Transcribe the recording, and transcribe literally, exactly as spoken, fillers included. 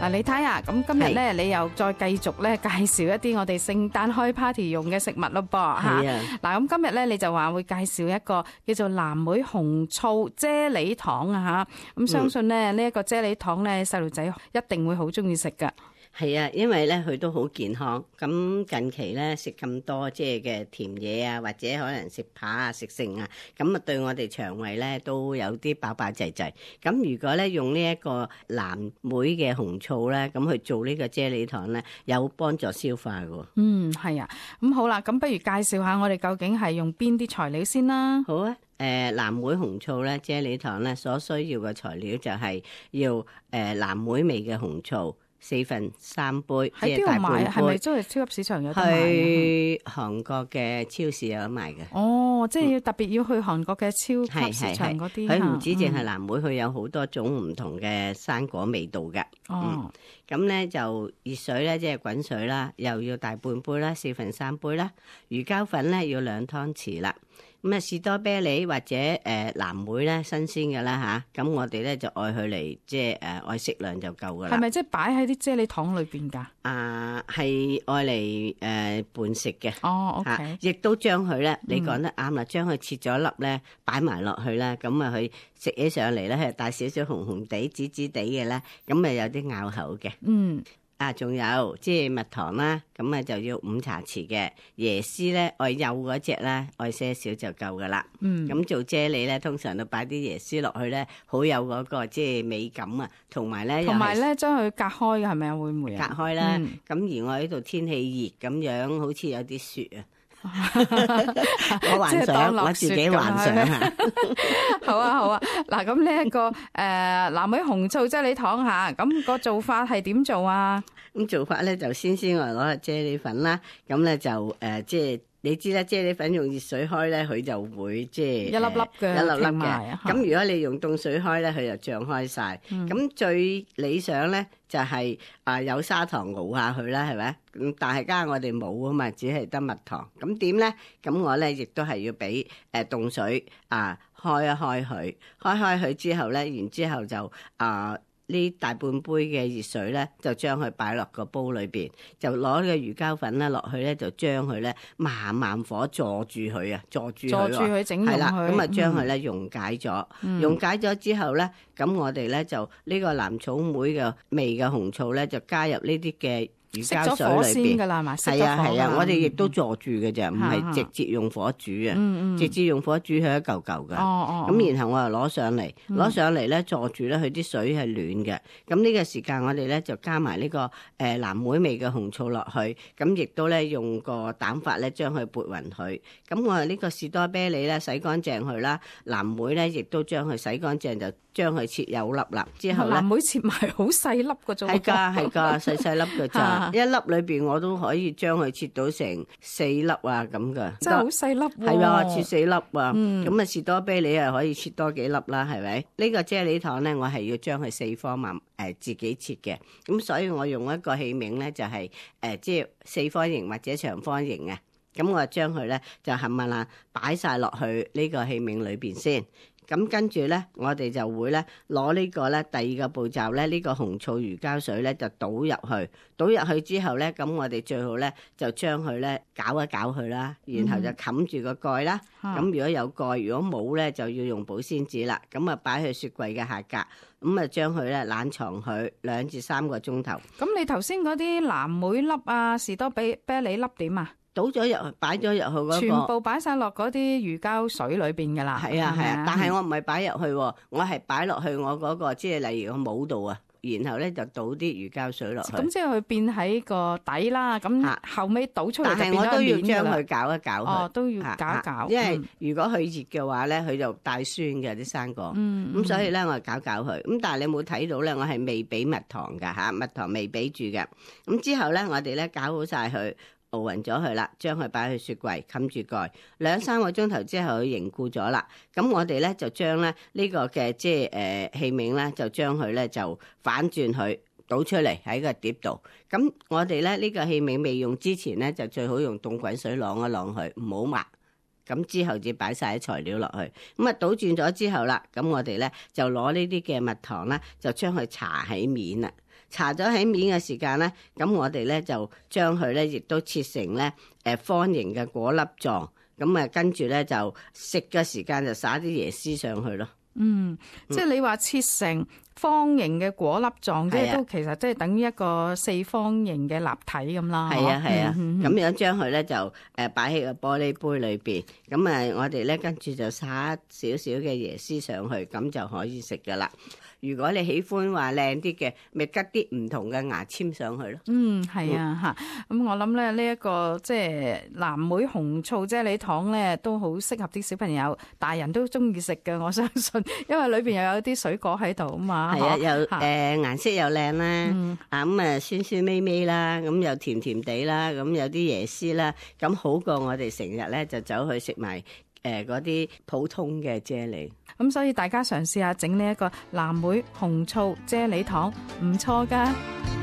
嗱，你睇下，咁今日咧，你又再繼續咧介紹一啲我哋聖誕開 party 用嘅食物咯噃嚇。係啊，嗱，咁今日咧你就話會介紹一個叫做藍莓紅醋啫喱糖啊嚇。咁相信咧呢一個啫喱糖咧，細路仔一定會好中意食噶。係啊，因為咧佢都好健康。咁近期咧食咁多即係嘅甜嘢啊，或者可能食扒啊、食剩啊，咁啊對我哋腸胃咧都有啲飽飽滯滯。咁如果咧用呢一個藍莓嘅紅醋咧，咁去做呢個啫喱糖咧，有幫助消化嘅。嗯，係啊。咁好啦，咁不如介紹下我哋究竟係用邊啲材料先啦。好啊。誒、呃、藍莓紅醋咧，啫喱糖咧所需要嘅材料就係要誒、呃、藍莓味嘅紅醋。四份三杯，喺邊度買？係咪都係超級市場有得買？去韓國嘅超市有得賣嘅。哦，即係要特別要去韓國嘅超級市場嗰啲。佢唔止淨係藍莓，佢、嗯、有好多種唔同嘅生果味道嘅。哦，咁咧、嗯、就熱水咧，即係滾水啦，又要大半杯啦，四份三杯啦。魚膠粉咧要兩湯匙啦。咁啊士多啤梨或者誒、呃、藍莓咧新鮮嘅啦吓，咁我哋咧就愛佢嚟即係誒愛適量就夠噶啦。係咪即係擺喺啲啫喱糖裏邊㗎？啊，係愛嚟誒拌食嘅。哦 ，OK。亦都將佢咧，你講得啱啦，將佢切咗粒咧，擺埋落去啦，咁啊佢食起上嚟咧係帶少少紅紅地、紫紫地嘅咧，咁啊有啲咬口嘅。嗯。啊，仲有即係蜜糖啦，咁啊就要五茶匙嘅椰絲咧，愛幼嗰隻咧，愛些少就夠噶啦。嗯，咁做啫喱咧，通常都擺啲椰絲落去咧，好有嗰個即係美感啊，同埋咧，同埋咧將佢隔開嘅係咪啊？會唔會啊？隔開啦。咁、嗯、而我呢度天氣熱咁樣，好似有啲雪啊。我幻想，我自己幻想下。好啊，好啊。嗱，咁呢一個誒藍莓紅醋啫喱糖吓，咁個做法係點做啊？咁做法咧就先先我攞個啫喱粉啦，咁咧就誒、呃、即係你知啦，啫喱粉用熱水開咧，佢就會即係一粒粒嘅，一粒粒嘅。咁如果你用凍水開咧，佢就脹開晒。咁、嗯、最理想咧就係、是、啊、呃、有砂糖熬下去啦，係咪？咁但係家下我哋冇啊嘛，只係得蜜糖。咁點咧？咁我咧亦都係要俾誒凍水啊、呃、開一開佢，開開佢之後咧，然之後就啊。呃呢大半杯嘅熱水咧，就將佢擺落個煲裏邊，就攞呢個魚膠粉咧落去咧，就將佢咧慢慢火坐住佢啊，坐住佢，坐住佢整溶佢，係啦，咁啊將佢咧溶解咗，嗯、溶解咗之後咧，咁我哋咧就呢個藍草莓嘅味嘅紅醋咧，就加入呢啲嘅魚膠水裏邊，係啊係啊，我哋亦都坐住嘅啫，唔、嗯、係直接用火煮啊、嗯嗯，直接用火煮佢一嚿嚿嘅。咁、哦哦、然後我又攞上嚟，攞、嗯、上嚟咧坐住咧，佢啲水係暖嘅。咁呢個時間我哋咧就加埋呢、這個誒、呃、藍莓味嘅紅醋落去，咁亦都咧用個蛋法咧將佢撥勻佢。咁我哋呢個士多啤梨咧洗乾淨佢啦，藍莓咧亦都將佢洗乾淨，就將佢切幼粒粒之後咧，藍莓切埋好細粒嘅啫，係㗎係㗎，細細粒嘅咋。一粒裏邊我都可以將佢切到成四粒啊咁噶，真係好細粒喎。係啊，切四粒啊，咁、嗯、啊士多啤梨啊可以切多幾粒啦，係咪？呢、這個啫喱糖咧，我係要將佢四方慢誒自己切嘅，咁所以我用一個器皿咧就係、是、誒、呃、即係四方形或者長方形啊，咁我就將佢咧就冚唪唥擺晒落去呢個器皿裏邊先。咁跟住咧，我哋就會咧攞呢個咧第二個步驟咧，呢、這個紅醋魚膠水咧就倒入去，倒入去之後咧，咁我哋最好咧就將佢咧攪一攪佢啦，然後就冚住個蓋啦。咁、嗯、如果有蓋，如果冇咧就要用保鮮紙啦。咁啊擺去雪櫃嘅下格，咁啊將佢咧冷藏佢兩至三個鐘頭。咁你頭先嗰啲藍莓粒啊、士多啤梨粒點啊？倒咗入去，擺咗入去嗰、那個，全部擺晒落嗰啲魚膠水裏邊噶啦。係啊係啊，但係我唔係擺入去，我係擺落去我嗰、那個，即係例如個帽度啊。然後咧就倒啲魚膠水落去。咁即係佢變喺個底啦。咁後尾倒出嚟就變咗面㗎啦。但係我都要將佢攪一攪佢。哦，都要攪一攪。因為如果佢熱嘅話咧，佢就帶酸嘅啲生果。嗯。咁所以咧，我係攪攪佢。咁但係你冇睇到咧，我係未俾蜜糖㗎嚇，蜜糖未俾住嘅。咁之後咧，我哋咧攪好晒佢。熬勻咗佢啦，將佢擺去雪櫃，冚住蓋，兩三個鐘頭之後佢凝固咗啦。咁我哋咧就將咧呢個嘅即係誒器皿咧，就將佢咧就反轉佢倒出嚟喺個碟度。咁我哋咧呢個器皿未用之前咧，就最好用凍滾水晾一晾佢，唔好抹。咁之後至擺晒啲材料落去。咁啊倒轉咗之後啦，咁我哋咧就攞呢啲嘅蜜糖啦，就將佢搽喺面啦。搽咗喺面嘅時間咧，咁我哋咧就將佢咧亦都切成咧誒方形嘅果粒狀，咁啊跟住咧就食嘅時間就撒啲椰絲上去咯。嗯，即係你話切成方形嘅果粒狀，即係都其實即係等於一個四方形嘅立體咁啦。係啊係啊，咁、嗯、樣將佢咧就誒擺喺個玻璃杯裏邊，咁啊我哋咧跟住就撒少少嘅椰絲上去，咁就可以食噶啦。如果你喜歡話靚啲嘅，咪吉啲唔同嘅牙籤上去咯。嗯，係啊嚇。咁、嗯、我諗咧呢一個即係藍莓紅醋啫喱糖咧，都好適合啲小朋友，大人都中意食嘅，我相信，因為裏邊又有啲水果喺度啊嘛。係啊，又誒、呃、顏色又靚啦，嗯、啊咁啊酸酸味味啦，咁又甜甜地啦，咁有啲椰絲啦，咁好過我哋成日咧就走去食埋誒嗰啲普通嘅啫喱。咁所以大家嘗試下整呢一個藍莓紅醋啫喱糖，唔錯㗎。